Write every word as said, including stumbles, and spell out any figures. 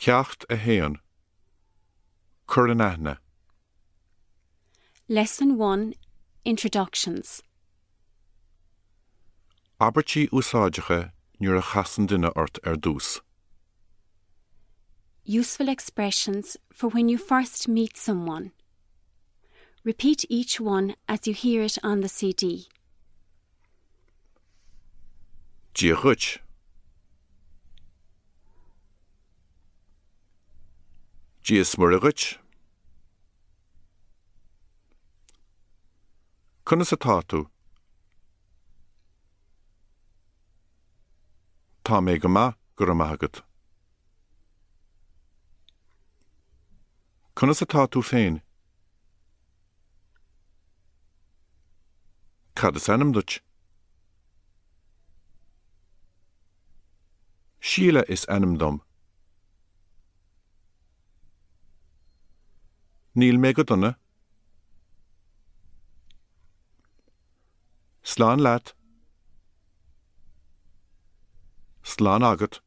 Ceacht a haon. Cuir in aithne. Lesson one Introductions. Abairtí úsáideacha nuair a chasann duine ort ar dtús. Useful expressions for when you first meet someone. Repeat each one as you hear it on the C D. Dia dhuit. Dia is Muire dhuit. Conas atá tú? Tá mé go maith, go raibh maith agat. Conas atá tú féin? Cad is ainm duit? Síle is ainm dom. Níl mé go dona. Slán leat. Slán agat.